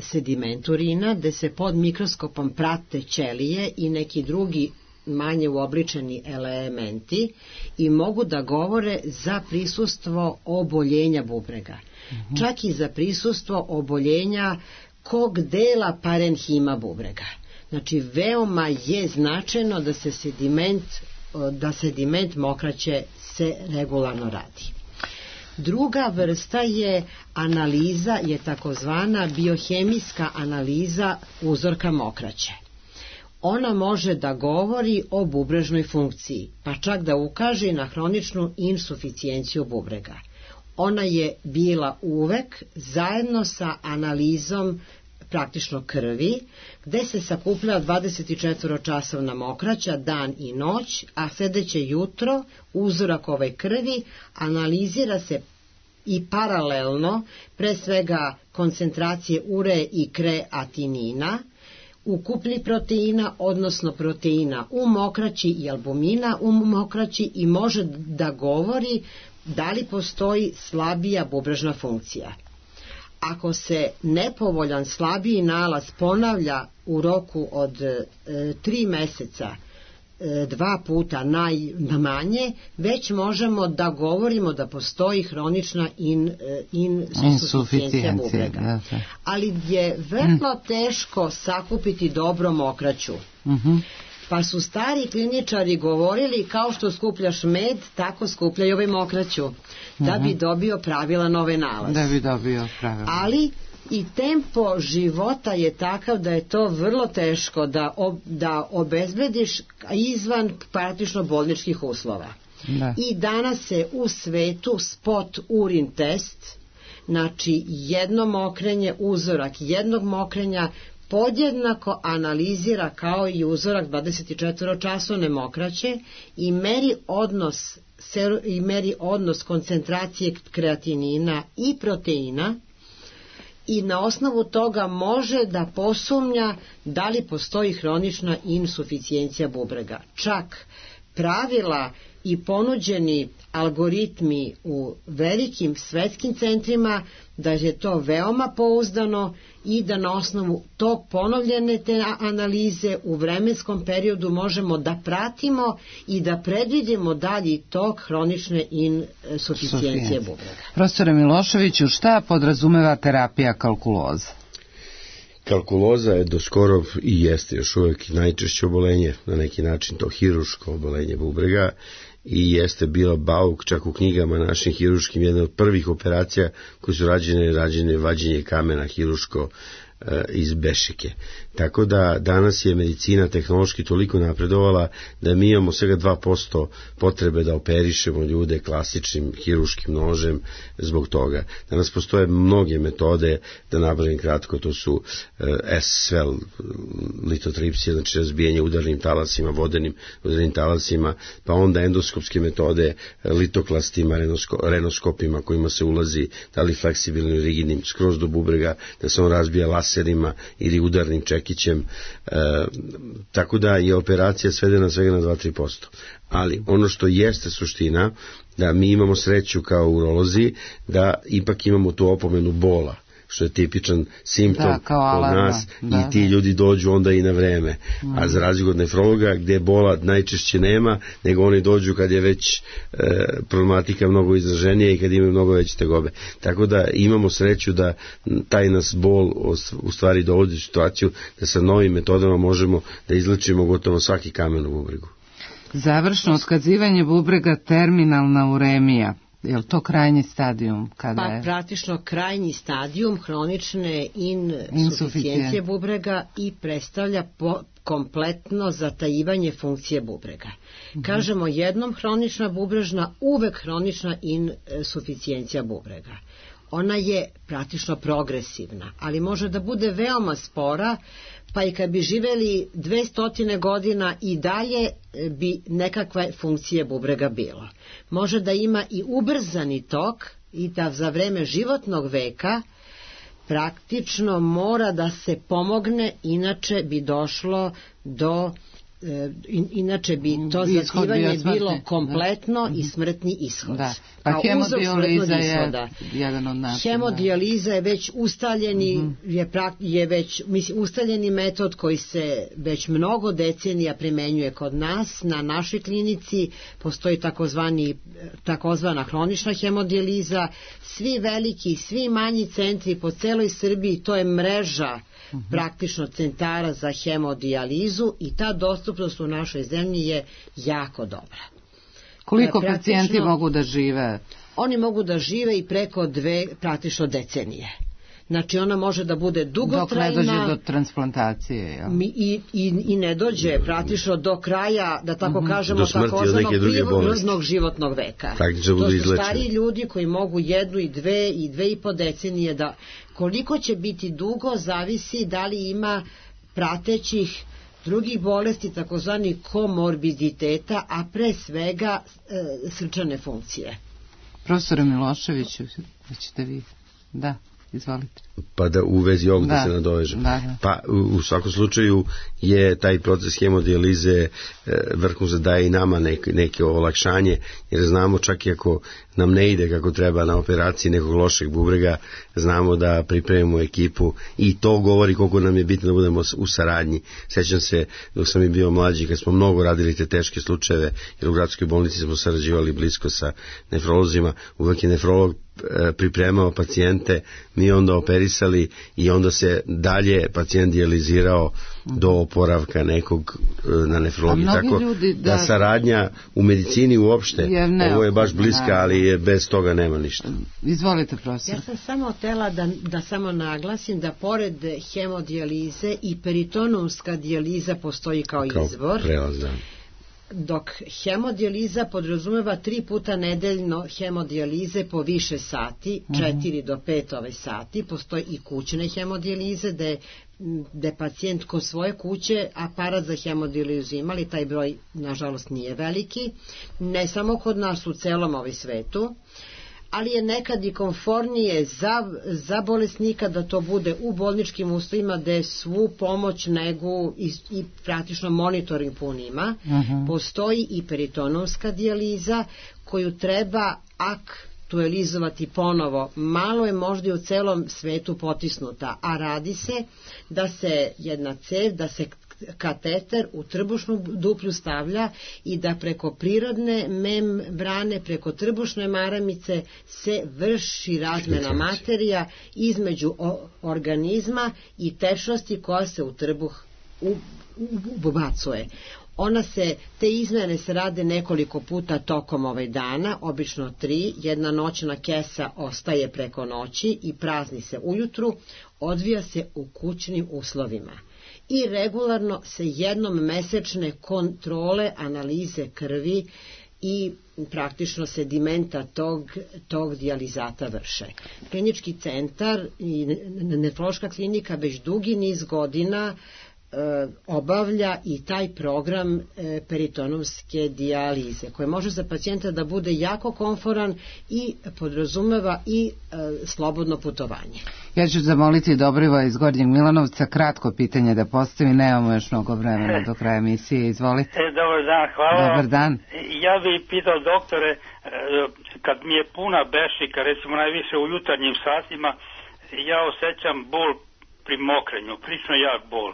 sediment urina, gde se pod mikroskopom prate ćelije i neki drugi manje uobličeni elementi i mogu da govore za prisustvo oboljenja bubrega. Čak i za prisustvo oboljenja kog dela parenhima bubrega. Znači, veoma je značajno da sediment mokraće se regularno radi. Druga vrsta je analiza, je takozvana biohemijska analiza uzorka mokraće. Ona može da govori o bubrežnoj funkciji, pa čak da ukaže na hroničnu insuficijenciju bubrega. Ona je bila uvek zajedno sa analizom praktično krvi, gde se sakuplja 24-časovna mokraća dan i noć, a sledeće jutro uzorak ove krvi analizira se i paralelno, pre svega koncentracije ure i kreatinina, ukupni proteina, odnosno proteina u mokraći i albumina u mokraći, i može da govori da li postoji slabija bubrežna funkcija. Ako se nepovoljan slabiji nalaz ponavlja u roku od 3 meseca, 2 puta najmanje, već možemo da govorimo da postoji hronična insuficijencija bubrega. Ali je vrlo teško sakupiti dobro mokraću. Pa su stari kliničari govorili, kao što skupljaš med, tako skupljaj ovaj mokraću, da bi dobio pravilan ovaj nalaz. Ali i tempo života je takav da je to vrlo teško da obezbediš izvan praktično bolničkih uslova. I danas se u svetu spot urin test, znači jedno mokrenje, uzorak jednog mokrenja, podjednako analizira kao i uzorak 24-časovne mokraće i meri odnos koncentracije kreatinina i proteina, i na osnovu toga može da posumnja da li postoji hronična insuficijencija bubrega. Čak pravila i ponuđeni algoritmi u velikim svetskim centrima da je to veoma pouzdano i da na osnovu tog ponovljene te analize u vremenskom periodu možemo da pratimo i da predvidimo dalji tok hronične insuficijencije bubrega. Profesore Miloševiću, šta podrazumeva terapija kalkuloza? Kalkuloza je doskoro i jeste još uvek najčešće obolenje, na neki način to hirurško obolenje bubrega, i jeste bila bauk čak u knjigama našim hirurškim, jedna od prvih operacija koje su rađene vađenje kamena hirurško iz bešike. Tako da danas je medicina tehnološki toliko napredovala da mi imamo svega 2% potrebe da operišemo ljude klasičnim hirurškim nožem zbog toga. Danas postoje mnoge metode, da nabrojim kratko, to su SVEL litotripsija, znači razbijanje udarnim talasima, vodenim udarnim talasima, pa onda endoskopske metode, litoklastima, renoskopima kojima se ulazi, da li fleksibilnim ili rigidnim, skroz do bubrega, da se on razbija laserima ili udarnim čekićem, tako da je operacija svedena svega na 2-3%. Ali ono što jeste suština, da mi imamo sreću kao urolozi da ipak imamo tu opomenu bola. što je tipičan simptom kod nas i ti ljudi dođu onda i na vreme. A za razliku od nefrologa gdje bola najčešće nema, nego oni dođu kad je već problematika mnogo izraženija i kad imaju mnogo veće tegobe. Tako da imamo sreću da taj nas bol u stvari dovodi u situaciju da sa novim metodama možemo da izlečimo gotovo svaki kamen u bubregu. Završno otkazivanje bubrega, terminalna uremija, je li to krajnji stadijum? Praktično krajnji stadijum hronične insuficijencije bubrega i predstavlja kompletno zatajivanje funkcije bubrega. Kažemo jednom hronična bubrežna, uvek hronična insuficijencija bubrega. Ona je praktično progresivna, ali može da bude veoma spora, pa i kad bi živeli 200 godina i dalje bi nekakve funkcije bubrega bilo. Može da ima i ubrzani tok i da za vreme životnog veka praktično mora da se pomogne, inače bi došlo do inače bi to zativanje bilo kompletno i smrtni ishod. Pa hemodijaliza je jedan od načina. Hemodijaliza je već ustaljeni metod koji se već mnogo decenija primenjuje kod nas. Na našoj klinici postoji takozvana hronična hemodijaliza. Svi veliki, svi manji centri po celoj Srbiji, to je mreža praktično centara za hemodijalizu i ta dostupnost u našoj zemlji je jako dobra. Koliko pacijenti mogu da žive? Oni mogu da žive i preko 2 praktično decenije. Znači ona može da bude dugotrajna. Dok ne dođe do transplantacije. I ne dođe praktično do kraja, da tako kažemo, takozvanog prirodnog životnog veka. To su stari ljudi koji mogu 1 i 2 i 2,5 decenije da... Koliko će biti dugo zavisi da li ima pratećih drugih bolesti, takozvani komorbiditeta, a pre svega srčane funkcije. Profesore Miloševiću, ćete vi? Da, izvolite. Pa da u vezi ovog da se nadovežem. Pa u svakom slučaju je taj proces hemodijalize vrhunski daje i nama neke olakšanje, jer znamo čak i ako nam ne ide kako treba na operaciji nekog lošeg bubrega, znamo da pripremimo ekipu i to govori koliko nam je bitno da budemo u saradnji. Sećam se dok sam i bio mlađi kad smo mnogo radili te teške slučajeve, jer u gradskoj bolnici smo sarađivali blisko sa nefrolozima, uvek je nefrolog pripremao pacijente, mi onda operisali i onda se dalje pacijent dijalizirao do oporavka nekog na nefrologiji. Tako da saradnja u medicini uopšte, ovo je baš bliska, ali bez toga nema ništa. Izvolite, profesor. Ja sam samo htela da samo naglasim da pored hemodijalize i peritonomska dijaliza postoji kao izvor. Prelaz, da. Dok hemodijaliza podrazumeva 3 puta nedeljno hemodijalize po više sati, 4 do 5 sati, postoji i kućne hemodijalize gde pacijent kod svoje kuće aparat za hemodijalizu imali, taj broj nažalost nije veliki, ne samo kod nas, u celom svetu, ali je nekad i komfornije za bolesnika da to bude u bolničkim uslovima gde svu pomoć, negu i praktično monitoring pun ima. Postoji i peritonomska dijaliza koju treba aktualizovati ponovo. Malo je možda i u celom svetu potisnuta, a radi se da se jedna cev, da se kateter u trbušnu duplju stavlja i da preko prirodne membrane, preko trbušne maramice se vrši razmena materija između organizma i tečnosti koja se u trbuh ubacuje. Te izmene se rade nekoliko puta tokom dana, obično 3, jedna noćna kesa ostaje preko noći i prazni se ujutru, odvija se u kućnim uslovima. I regularno se jednom mesečne kontrole, analize krvi i praktično sedimenta tog dijalizata vrše. Klinički centar i nefrološka klinika već dugi niz godina obavlja i taj program peritonomske dijalize, koji može za pacijenta da bude jako komforan i podrazumeva i slobodno putovanje. Ja ću zamoliti Dobrivoja iz Gornjeg Milanovca kratko pitanje da postavi, nemamo još mnogo vremena do kraja emisije, izvolite. Dobar dan, hvala. Dobar dan. Ja bih pitao doktore, kad mi je puna bešika, recimo najviše u jutarnjim satima, ja osjećam bol pri mokrenju, prilično jak bol.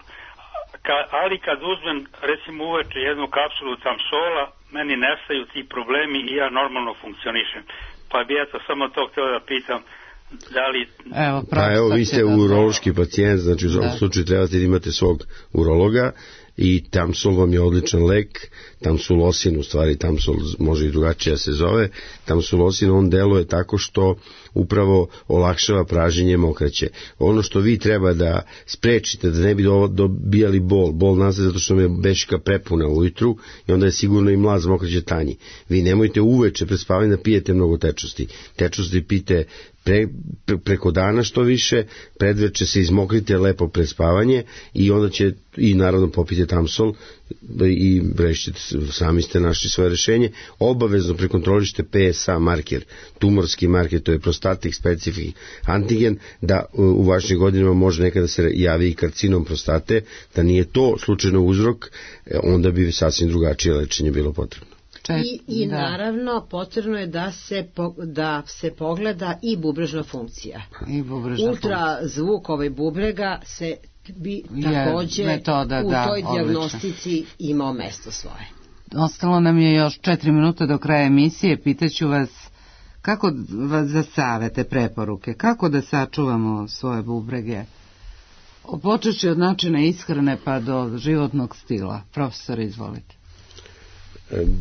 Ali kad uzmem, recimo uveče jednu kapsulu Tamsola, meni nestaju ti problemi i ja normalno funkcionišem. Pa bi ja to samo to htio da pitam, da li... Evo, vi ste urološki pacijent, znači u svakom slučaju trebate da imate svog urologa i Tamsul vam je odličan lek, Tamsulosin, u stvari Tamsul može i drugačije se zove, Tamsulosin on deluje tako što upravo olakšava praženje mokraće. Ono što vi treba da sprečite, da ne bi dobijali bol nastaje zato što me bešika prepuna ujutru i onda je sigurno i mlaz mokraće tanji. Vi nemojte uveče pred spavanje da pijete mnogo tečnosti pijte preko dana što više, predveče se izmokrite lepo pred spavanje i onda će i naravno popite Tamsol i rešite, sami ste našli svoje rešenje. Obavezno prekontrolište PSA marker, tumorski marker, to je prostatic specific antigen, da u vašim godinama može nekada se javi i karcinom prostate, da nije to slučajno uzrok, onda bi sasvim drugačije lečenje bilo potrebno. I naravno potrebno je da se pogleda i bubrežna funkcija. Ultrazvuk bubrega se bi takođe u toj dijagnostici imao mesto svoje. Ostalo nam je još 4 minuta do kraja emisije. Pitaću vas kako za savete, preporuke, kako da sačuvamo svoje bubrege, počeći od načina ishrane pa do životnog stila. Profesor, izvolite.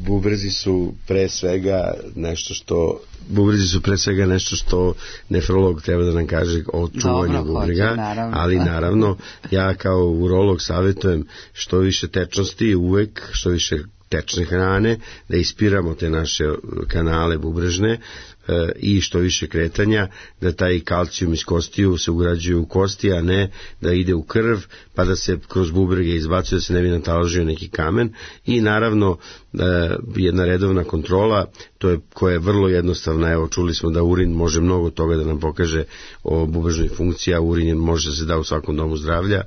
Bubrezi su pre svega nešto što nefrolog treba da nam kaže o čuvanju bubrega, ali naravno ja kao urolog savjetujem što više tečnosti uvek, što više tečne hrane, da ispiramo te naše kanale bubrežne i što više kretanja, da taj kalcijum iz kostiju se ugrađuje u kosti, a ne da ide u krv, pa da se kroz bubrege izbacuje, da se ne bi nataložio neki kamen. I naravno jedna redovna kontrola, koja je vrlo jednostavna. Evo, čuli smo da urin može mnogo toga da nam pokaže o bubrežnoj funkciji, a urin može da se da u svakom domu zdravlja.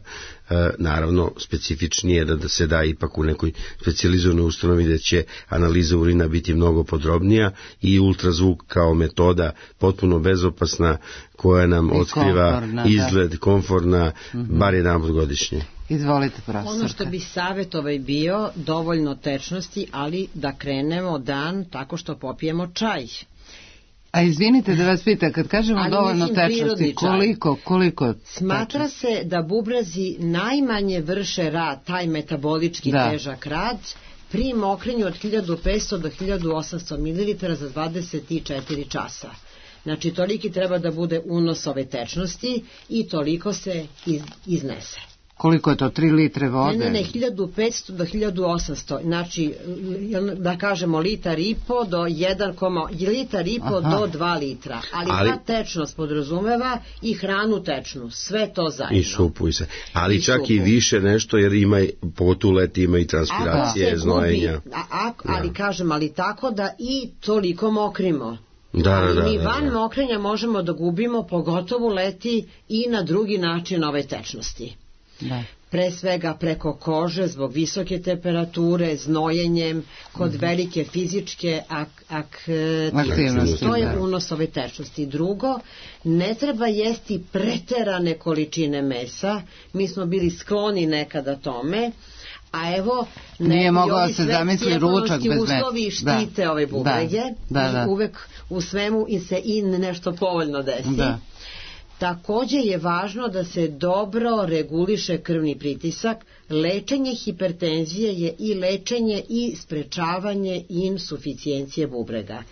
Naravno, specifičnije da se da ipak u nekoj specijalizovanoj ustanovi gde će analiza urina biti mnogo podrobnija i ultrazvuk kao metoda potpuno bezopasna koja nam otkriva izgled, komforna, bar jedanput godišnje. Izvolite, profesorka. Ono što bi savjet bio, dovoljno tečnosti, ali da krenemo dan tako što popijemo čaj. A izvinite da vas pita, kad kažemo dovoljno tečnosti, koliko? Smatra se da bubrezi najmanje vrše rad, taj metabolički težak rad, pri mokrenju od 1500 do 1800 ml za 24 časa. Znači, toliki treba da bude unos ove tečnosti i toliko se iznese. Koliko je to, 3 litre vode? Ne, 1500 do 1800, znači, da kažemo litar i po do 2 litra, ali ta tečnost podrazumeva i hranu tečnu, sve to zajedno. I supu i sve, ali čak i više nešto, jer ima, pogotovo leti ima i transpiracije, znojenja. Ali tako da i toliko mokrimo. Mi van mokrenja možemo da gubimo, pogotovo leti i na drugi način ove tečnosti. Pre svega preko kože zbog visoke temperature, znojenjem, kod velike fizičke aktivnosti. To je unos ove tečnosti. Drugo, ne treba jesti preterane količine mesa. Mi smo bili skloni nekada tome, a evo nije mogao se zamisli ručak bez mesa. Uslovi štite ove bubrege i uvek u svemu se i nešto povoljno desi. Takođe je važno da se dobro reguliše krvni pritisak. Lečenje hipertenzije je i lečenje i sprečavanje insuficijencije bubrega.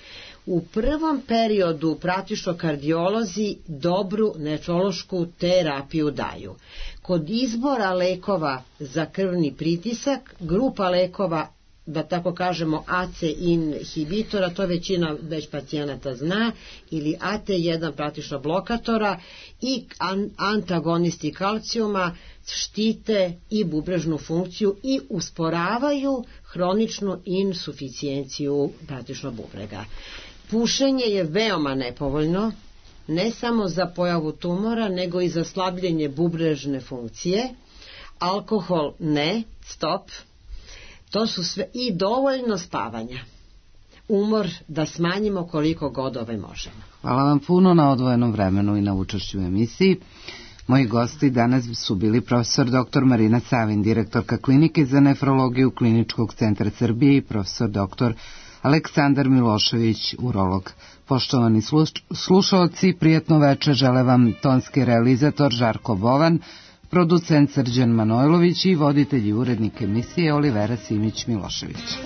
U prvom periodu praktično kardiolozi dobru nefrološku terapiju daju. Kod izbora lekova za krvni pritisak, grupa lekova, da tako kažemo AC inhibitora, to većina već pacijenata zna, ili AT1 praktično blokatora i antagonisti kalcijuma štite i bubrežnu funkciju i usporavaju hroničnu insuficijenciju praktično bubrega. Pušenje je veoma nepovoljno, ne samo za pojavu tumora, nego i za slabljenje bubrežne funkcije. Alkohol ne, stop. To su sve i dovoljno spavanja. umor da smanjimo koliko god možemo. Hvala vam puno na odvojenom vremenu i na učešću u emisiji. Moji gosti danas su bili profesor dr. Marina Savin, direktorka Klinike za nefrologiju Kliničkog centra Srbije, i profesor dr. Aleksandar Milošević, urolog. Poštovani slušaoci, prijatno večer žele vam tonski realizator Žarko Bovan, producent Srđan Manojlović i voditelj i urednik emisije Olivera Simić Milošević.